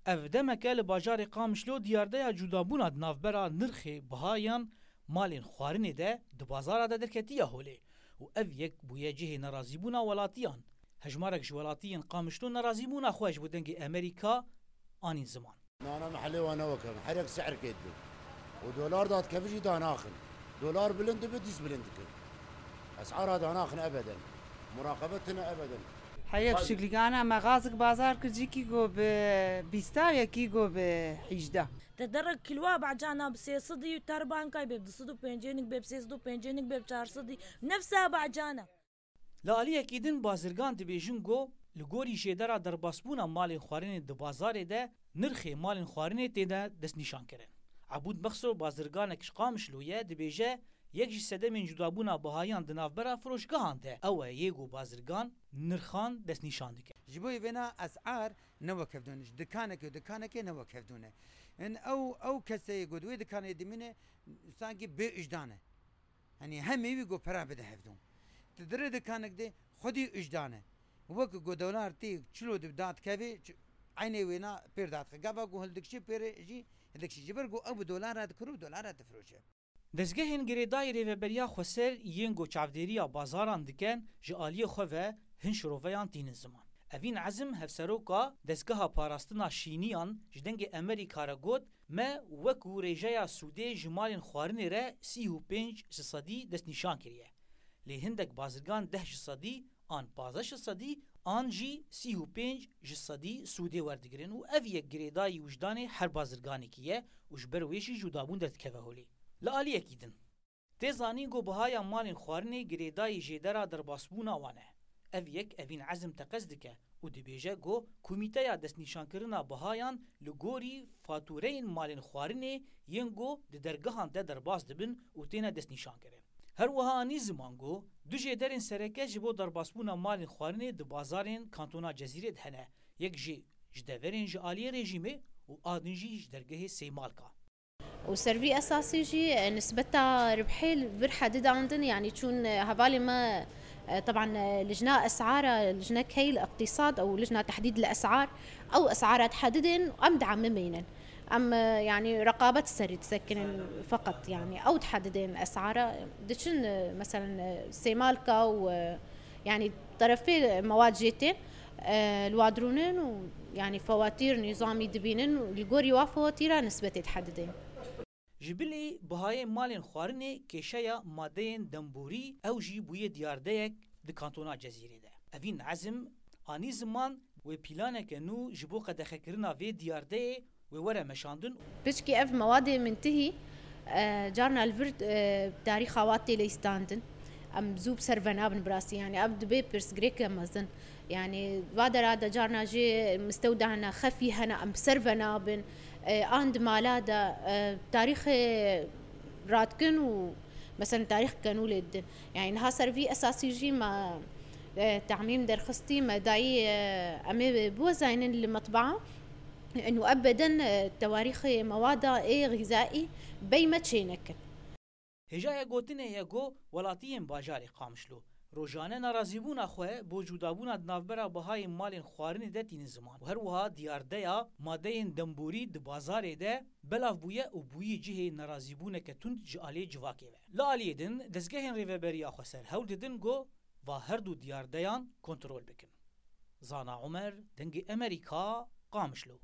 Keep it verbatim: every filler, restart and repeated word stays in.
Ev demeke li bajarê Qamişlo diyardeya cudabûna di navbera nirxê bihayan malên xwarinê de di bazara de derketiye holê û ev yek bûye cihê nerazîbûna welatiyan. Hejmarek ji welatiyên Qamişlo nerazîbûna xwe ji bo Dengê Emerîka anîn ziman. Nana mehellê wan ne wekevin. Her yek sihr kêt bin. Û dolar dadkevin jî danaxin. Dolar bilind dibe, dîs bilind dikin. Esara danaxin ebeden. Muraqebe tine ebeden. Heyek Bazı- şikligana me gazik bazar kir cîkî go bi bîsta yekî go bi hîjda. Te derek kilwa bacana bi sê sedî û ter bankay bê bi du sed û pêncênik bê bi sê sed û pêncênik bê bi çar sedî. Nefsa bacana. Li aliyekî din bazirgan dibêjin ku li gorî jêdera derbasbûna malên xwarinê di bazarê de nirxê malên xwarinê têne destnîşankirin. Ebûd Mexso bazirganek ji Qamişlo ye, dibêje yek ji sedemên cudabûna bihayan di navbera firoşgehan de ew e yê ku bazirgan nirxan destnîşan dike. Ji bo vêna esar ne wekevdûn, ji dikanekê û dikanekê ne wekevdûn e. Hin ew, ew keseyê ku di wê dikanê dimîne sankî bê ujdan e. Hani hemî wî got pera bide hevdû. Ti dirê dikanek de xwedî ujdan e. Wek ku dolar tê çilo di dadkevê, ç-, eynê wêna pêr dadxe. Gava ku hildikşî pêrê jî hildikşî. Ji ber ku ew bi dolara dikir û dolara difiroşe. Dezgehên girêdayî Rêveberiya Xweser yên ku çavdêriya bazaran dikin, ji aliyê xwe ve hin şiroveyan tînin ziman. Evîn Ezim, hevseroka Dezgeha Parastina Şîniyan ji Dengê Emerîka re got, me wekû rêjeya sûdê ji malên xwarinê re sî û pênc ji sedî destnîşan kiriye. Lê hindek bazirgan deh ji sedî an pazdeh ji sedî an jî sî û pênc ji sedî sûdê werdigirin û ev yek girêdayî wijdanê her bazirganekî ye û ji ber wê jî cudabûn derdikeve holê. Li aliyekî din, tê zanîn ku bihaya malên xwarinê girêdayî jêdera derbasbûna wan e. Ev yek Evîn Ezim teqez dike û dibêje ku Komîteya Destnîşankirina Bihayan li gorî fatûreyên malên xwarinê yên ku di dergehan de derbas dibin û têne destnîşankirin. Her wiha anî ziman ku du jêderên sereke ji bo derbasbûna malên xwarinê di bazarên Kantona Cezîrê de hene. Yek jî ji deverên ji aliyê rejîmê û a din jî ji dergehê Sêmalka. û ser vî esasî jî, e, nisbeta ribhê li vir hedidandin, yanî çûn, e, hevalê me, e, teban, e, lijna esara, lijne keyl iqtîsad ew lijna tehdîd li esar, ew esara dihedidên û em diemimînin. Em, e, yanî reqabet serî disekinin feqet, yanî ew dihedidên esara. Diçin, e, meselen, e, Sêmalka û, e, yanî terefê mewad jê tên, e, li wa dirûnin û yanî fewatîr nîzamî dibînin û li gorî wa fewatîra nisbetê dihedidên. Ji bilî bihayê malên xwarinê kêşeya madeyên demborî ew jî bûye diyardeyek di kantona Cezîrê de. Evîn Ezim anî ziman wê planeke nû ji bo qedexekirina vê diyardeyê wê were meşandin. Piçkî ev mewadê mintihî, e, carna li vir, e, tarîxa wa tê leyîstandin. Em zû bi ser ve nabin bi rastî, yanî ev dibe pirsgirêke mezin. Yanî va dera de carna jî mistewda hene, xefî hene, em bi ser ve nabin. E, an di mala de, e, tarîxê radikin û meselen tarîx kenûlê didin. Yanî niha ser vî esasî jî me, e, temîm derxistî, me dayî, e, em ê biwezaynin li metbaa û ebeden, e, tewarîxê mewada ê xîzaî bey me çê nekin. Hêjaya gotinê ye ku welatiyên bajarê Qamişlo rojane nerazîbûna xwe bo cudabûna di navbera bihayên malên xwarinê de tînin ziman û her wiha diyardeya madeyên demborî di bazarê de belav bûye û bûyî cihê nerazîbûneke tund ji aliyê civakê ve. Li aliyê din, dezgehên Rêveberiya Xweser hewl didin ku va her du diyardeyan kontrol bikin. Zana Omer, Dengê Emerîka, Qamişlo.